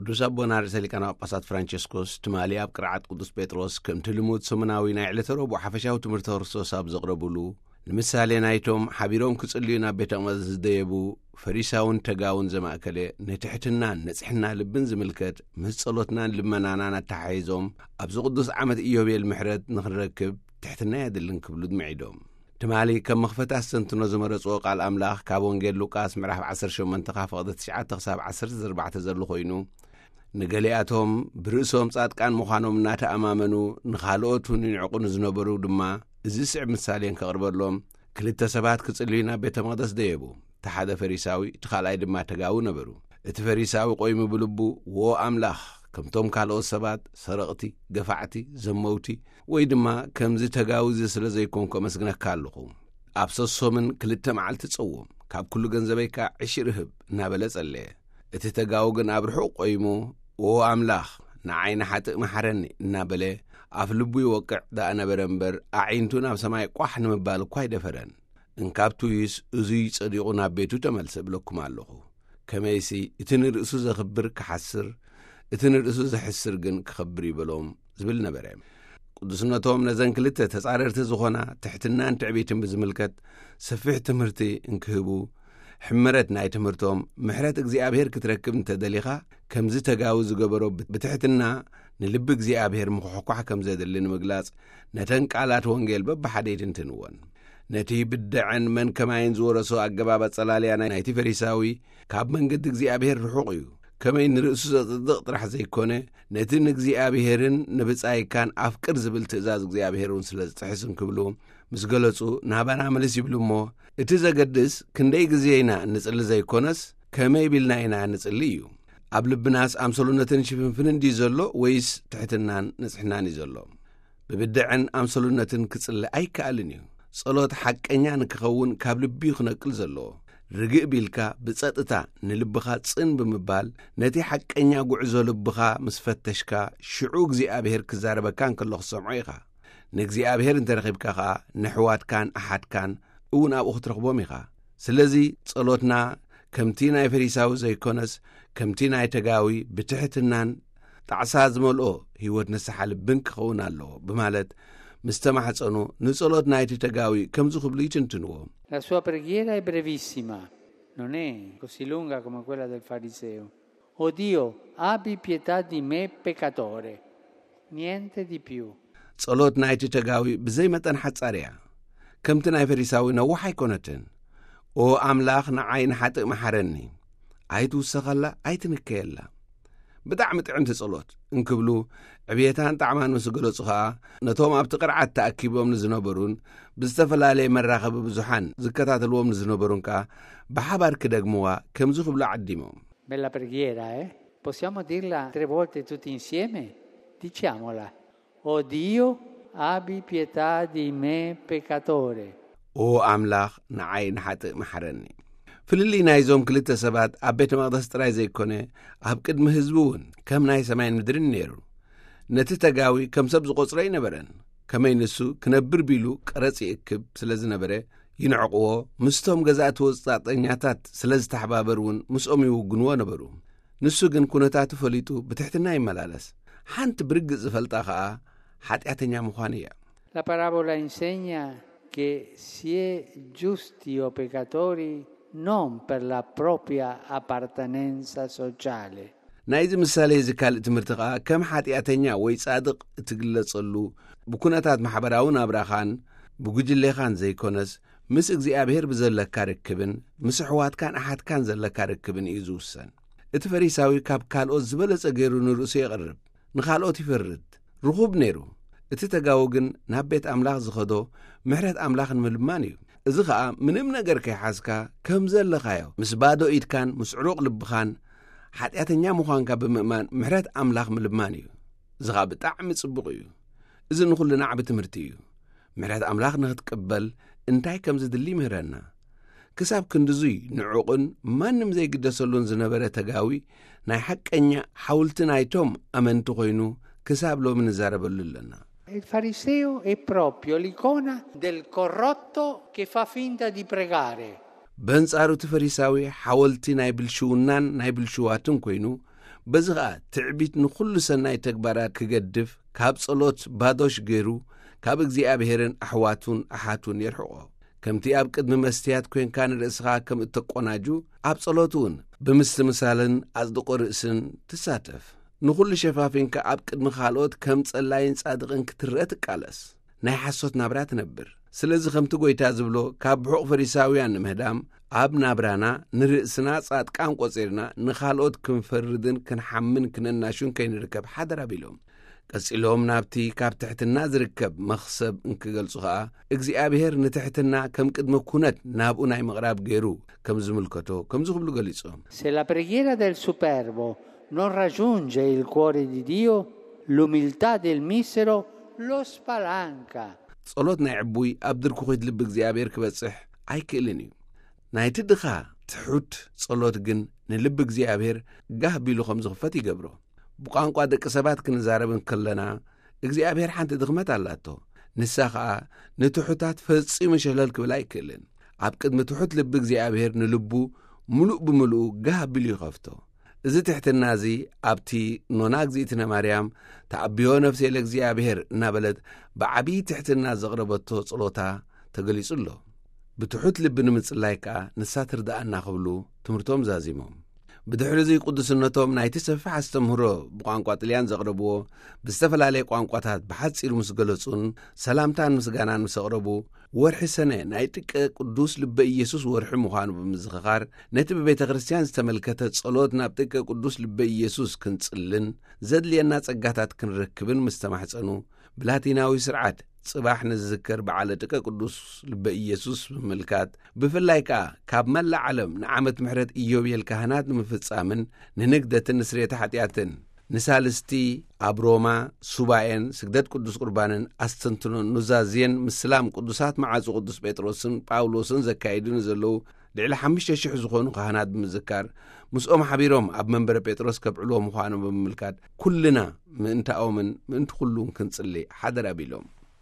ቅዱስ ኣቦና ርእሰ ሊቃነ ጳጳሳት ፍራንቸስኮስ ትማሊ ኣብ ቅርዓት ቅዱስ ጴጥሮስ ከምቲ ልሙድ ሰሙናዊ ናይ ዕለተ ረቡዕ ሓፈሻዊ ትምህርቲ ክርስቶስ ኣብ ዘቕረቡሉ፣ ንምሳሌ ናይቶም ሓቢሮም ክጽልዩ ናብ ቤተ መቕደስ ዝደየቡ ፈሪሳውን ተጋውን ዘማእከለ ንትሕትናን ንጽሕና ልብን ዝምልከት ምስ ጸሎትናን ልመናናን ኣተሓሒዞም ኣብዚ ቅዱስ ዓመት ኢዮቤል ምሕረት ንኽንረክብ ትሕትና የድልን ክብሉ ድምዒዶም። ትማሊ ከም መኽፈት ኣስተንትኖ ዝመረጽዎ ቃል ኣምላኽ ካብ ወንጌል ሉቃስ ምዕራፍ ዓሰርተ ሸሞንተ ካብ ፍቕዲ ትሽዓተ ክሳብ ዓሰርተ ኣርባዕተ ዘሎ ኮይኑ፣ ንገሊኣቶም ብርእሶም ጻድቃን ምዃኖም እናተኣማመኑ ንኻልኦት እውን ይንዕቑ ንዝነበሩ ድማ እዚ ስዕብ ምሳሌን ከቕርበሎም ክልተ ሰባት ክጽልዩ ናብ ቤተ መቕደስ ደየቡ። እቲ ሓደ ፈሪሳዊ፣ እቲ ካልኣይ ድማ ተጋዊ ነበሩ። እቲ ፈሪሳዊ ቆይሙ ብልቡ፣ "ዎ ኣምላኽ፣ ከምቶም ካልኦት ሰባት ሰረቕቲ፣ ገፋዕቲ፣ ዘመውቲ፣ ወይ ድማ ከምዚ ተጋዊ እዚ ስለ ዘይኮንኩ ኣመስግነካ ኣለኹ። ኣብ ሰሶምን ክልተ መዓልቲ ጸውም፣ ካብ ኩሉ ገንዘበይ ከኣ ዕሽር እህብ" እናበለ ጸለየ። እቲ ተጋዊ ግን ኣብ ርሑቕ ቆይሙ፣ "ዎ ኣምላኽ፣ ንዓይ ንሓጥእ መሓረኒ" እናበለ ኣፍ ልቡ ይወቅዕ ደኣ ነበረ እምበር፣ ኣዒንቱ ናብ ሰማይ ቋሕ ንምባል እኳ ኣይደፈረን። "እንካብ ትውዩስ እዙይ ጸዲቑ ናብ ቤቱ ተመልሰ እብለኩም ኣለኹ። ከመይሲ እቲ ንርእሱ ዘኽብር ክሓስር፣ እቲ ንርእሱ ዘሕስር ግን ክኸብር እዩ" በሎም ዝብል ነበረ። ቅዱስነቶም ነዘን ክልተ ተጻረርቲ ዝኾና ትሕትናን ትዕቢትን ብዝምልከት ሰፊሕ ትምህርቲ እንክህቡ፣ ሕመረት ናይ ትምህርቶም፣ ምሕረት እግዚኣብሔር ክትረክብ እንተደሊኻ፣ ከምዚ ተጋዊ ዝገበሮ ብትሕትና ንልቢ እግዚኣብሔር ምኹሕኳሕ ከም ዘድሊ ንምግላጽ፣ ነተን ቃላት ወንጌል በብሓደ ይትንትንወን። ነቲ ብደዐን መን ከማይን ዝወረሶ ኣገባብ ኣጸላልያ ናይ-፣ ናይቲ ፈሪሳዊ ካብ መንገዲ እግዚኣብሔር ርሑቕ እዩ። ከመይ ንርእሱ ዘጽድቕ ጥራሕ ዘይኮነ፣ ነቲ ንእግዚኣብሔርን ንብጻይካን ኣፍቅር ዝብል ትእዛዝ እግዚኣብሔር እውን ስለ ዝጥሕስ እንክብሉ ምስ ገለጹ፣ ናባና ምልስ ይብሉ እሞ፣ እቲ ዘገድስ ክንደይ ግዜ ኢና እንጽሊ ዘይኮነስ፣ ከመይ ቢልና ኢና እንጽሊ እዩ። ኣብ ልብናስ ኣምሰሉነትን ሽፍንፍንን ድዩ ዘሎ፣ ወይስ ትሕትናን ንጽሕናን እዩ ዘሎ? ብብድዐን ኣምሰሉነትን ክጽሊ ኣይከኣልን እዩ። ጸሎት ሓቀኛ ንክኸውን ካብ ልቢ እዩ ክነቅል ዘለዎ። ርግእ ቢልካ ብጸጥታ ንልብኻ ጽን ብምባል፣ ነቲ ሓቀኛ ጉዕዞ ልብኻ ምስ ፈተሽካ፣ ሽዑ እግዚኣብሔር ክዛረበካ እንከሎ ክትሰምዖ ኢኻ። ንእግዚኣብሔር እንተረኺብካ ኸኣ፣ ንኣሕዋትካን ኣሓትካን እውን ኣብኡ ክትረኽቦም ኢኻ። ስለዚ ጸሎትና ከምቲ ናይ ፈሪሳዊ ዘይኮነስ፣ ከምቲ ናይ ተጋዊ ብትሕትናን ጣዕሳ ዝመልኦ ህይወት ንስሓ ልብን ክኸውን ኣለዎ ብማለት ምስ ተማሕጸኑ፣ ንጸሎት ናይቲ ተጋዊ ከምዚ ክብሉ ይትንትንዎ። La sua preghiera è brevissima, non è così lunga come quella del fariseo. "O Dio, abbi pietà di me peccatore." Niente di più. ጸሎት ናይቲ ተጋዊ ብዘይ መጠን ሓጻር እያ። ከምቲ ናይ ፈሪሳዊ ነዋሕ ኣይኮነትን። "ኦ ኣምላኽ፣ ንዓይ ንሓጥእ መሓረኒ። ኣይትውሰኸላ፣ ኣይትንከየላ። ብጣዕሚ ጥዕምቲ ጸሎት" እንክብሉ፣ ዕብየታን ጣዕማን ምስ ገለጹ ኸኣ፣ ነቶም ኣብቲ ቅርዓት ተኣኪቦም ንዝነበሩን ብዝተፈላለየ መራኸቢ ብዙሓን ዝከታተልዎም ንዝነበሩን ከኣ ብሓባር ክደግምዋ ከምዚ ክብሉ ዓዲሞም። Bella preghiera, eh? Possiamo dirla tre volte tutti insieme? Diciamola. "O Dio, abbi pietà di me peccatore." "ኦ ኣምላኽ፣ ንዓይ ንሓጥእ መሓረኒ።" ፍልልይ ናይዞም ክልተ ሰባት ኣብ ቤተ መቕደስ ጥራይ ዘይኮነ፣ ኣብ ቅድሚ ህዝቢ እውን ከም ናይ ሰማይን ምድርን ነይሩ። ነቲ ተጋዊ ከም ሰብ ዝቖጽሮ ኣይነበረን። ከመይ ንሱ ክነብር ቢሉ ቀረጽ ይእክብ ስለ ዝነበረ፣ ይንዕቕዎ፣ ምስቶም ገዛእቲ ወጻእተኛታት ስለ ዝተሓባበር እውን ምስኦም ይውግንዎ ነበሩ። ንሱ ግን ኩነታቱ ፈሊጡ ብትሕትና ይመላለስ። ሓንቲ ብርግጽ ዝፈልጣ ኸኣ ሓጢኣተኛ ምዃኑ እያ። La parabola insegna che si è giusti o peccatori non per la propria appartenenza sociale. ናይዚ ምሳሌ እዚ ካልእ ትምህርቲ ኸኣ፣ ከም ሓጢኣተኛ ወይ ጻድቕ እትግለጸሉ ብኩነታት ማሕበራዊ ናብራኻን ብጉጅሌኻን ዘይኮነስ፣ ምስ እግዚኣብሔር ብዘለካ ርክብን ምስ ኣሕዋትካን ኣሓትካን ዘለካ ርክብን እዩ ዝውሰን። እቲ ፈሪሳዊ ካብ ካልኦት ዝበለጸ ገይሩ ንርእሱ የቕርብ፣ ንኻልኦት ይፈርድ፣ ርኹብ ነይሩ። እቲ ተጋዊ ግን ናብ ቤት ኣምላኽ ዝኸዶ ምሕረት ኣምላኽ ንምልማን እዩ። እዚ ኸኣ ምንም ነገር ከይሓዝካ ከም ዘለኻዮ፣ ምስ ባዶ ኢድካን ምስ ዕሩቕ ልብኻን ሓጢኣተኛ ምዃንካ ብምእማን ምሕረት ኣምላኽ ምልማን እዩ። እዚ ኸኣ ብጣዕሚ ጽቡቕ እዩ። እዚ ንኹልና ዓቢ ትምህርቲ እዩ። ምሕረት ኣምላኽ ንኽትቅበል እንታይ ከም ዝድሊ ይምህረና። ክሳብ ክንድዙይ ንዑቕን ማንም ዘይግደሰሉን ዝነበረ ተጋዊ፣ ናይ ሓቀኛ ሓውልቲ ናይቶም ኣመንቲ ኮይኑ ክሳብ ሎሚ ንዛረበሉ ኣለና። Il fariseo è proprio l'icona del corrotto che fa finta di pregare. በንጻሩ እቲ ፈሪሳዊ ሓወልቲ ናይ ብልሽውናን ናይ ብልሽዋትን ኮይኑ፣ በዚ ኸኣ ትዕቢት ንኹሉ ሰናይ ተግባራት ክገድፍ፣ ካብ ጸሎት ባዶሽ ገይሩ፣ ካብ እግዚኣብሔርን ኣሕዋቱን ኣሓቱን የርሕቖ። ከምቲ ኣብ ቅድሚ መስትያት ኮይንካ ንርእስኻ ከም እተቆናጁ፣ ኣብ ጸሎት እውን ብምስትምሳልን ኣጽድቆ ርእስን ትሳተፍ። ንኹሉ ሸፋፊንካ ኣብ ቅድሚ ካልኦት ከም ጸላይን ጻድቕን ክትረአ ትቃለስ። ናይ ሓሶት ናብራ ትነብር። ስለዚ ከምቲ ጎይታ ዝብሎ፣ ካብ ብሑቕ ፈሪሳውያን ንምህዳም፣ ኣብ ናብራና ንርእስና ጻድቃን ቆጺርና ንኻልኦት ክንፈርድን ክንሓምን ክነናሹን ከይንርከብ ሓደራ ቢሎም። ቀጺሎም ናብቲ ካብ ትሕትና ዝርከብ መኽሰብ እንክገልጹ ኸኣ፣ እግዚኣብሔር ንትሕትና ከም ቅድመ ኩነት ናብኡ ናይ ምቕራብ ገይሩ ከም ዝምልከቶ ከምዚ ክብሉ ገሊጾም። Se la preghiera del superbo non raggiunge il cuore di Dio, l'umiltà del misero lo spalanca. ጸሎት ናይ ዕቡይ ኣብ ድርኩኺት ልቢ እግዚኣብሔር ክበጽሕ ኣይክእልን እዩ። ናይቲ ድኻ ትሑት ጸሎት ግን ንልቢ እግዚኣብሔር ጋህ ቢሉ ከም ዝኽፈት ይገብሮ። ብቋንቋ ደቂ ሰባት ክንዛረብ እንከለና እግዚኣብሔር ሓንቲ ድኽመት ኣላቶ። ንሳ ኸኣ ንትሑታት ፈጺሙ ሸለል ክብል ኣይክእልን። ኣብ ቅድሚ ትሑት ልቢ እግዚኣብሔር ንልቡ ምሉእ ብምሉኡ ጋህ ኣቢሉ ይኸፍቶ። እዚ ትሕትና እዚ ኣብቲ ኖና እግዚኣብሔር ማርያም ተዓብዮ ነፍሴ ለእግዚኣብሔር እናበለት ብዓብዪ ትሕትና ዘቕረበቶ ጸሎታ ተገሊጹ ኣሎ። ብትሑት ልቢ ንምጽላይ ከኣ ንሳ ትርድኣና ክብሉ ትምህርቶም ዛዚሞም። ብድሕሪ እዚ ቅዱስነቶም ናይቲ ሰፊሕ ኣስተምህሮ ብቋንቋ ጥልያን ዘቕረብዎ ብዝተፈላለየ ቋንቋታት ብሓጺሩ ምስ ገለጹን ሰላምታን ምስጋናን ምስ ኣቕረቡ፣ ወርሒ ሰነ ናይ ጥቀ ቅዱስ ልበ ኢየሱስ ወርሒ ምዃኑ ብምዝኽኻር፣ ነቲ ብቤተ ክርስቲያን ዝተመልከተ ጸሎት ናብ ጥቀ ቅዱስ ልበ ኢየሱስ ክንጽልን ዘድልየና ጸጋታት ክንረክብን ምስ ተማሕጸኑ፣ ብላቲናዊ ስርዓት ጽባሕ ንዝዝከር በዓለ ጥቀ ቅዱስ ልበ ኢየሱስ ብምምልካት፣ ብፍላይ ከኣ ካብ መላእ ዓለም ንዓመት ምሕረት ኢዮቤል ካህናት ንምፍጻምን ንንግደትን ንስርየተ ሓጢኣትን ንሳልስቲ ኣብ ሮማ ሱባኤን ስግደት ቅዱስ ቁርባንን ኣስተንትኖን ኑዛዜን ምስላም ቅዱሳት መዓጹ ቅዱስ ጴጥሮስን ጳውሎስን ዘካይዱ ንዘለዉ ልዕሊ ሓሙሽተ ሽሕ ዝኾኑ ካህናት ብምዝካር፣ ምስኦም ሓቢሮም ኣብ መንበረ ጴጥሮስ ከብዕልዎ ምዃኖም ብምምልካት፣ ኩልና ምእንታኦምን ምእንቲ ኩሉን ክንጽሊ ሓደራ ቢሎም።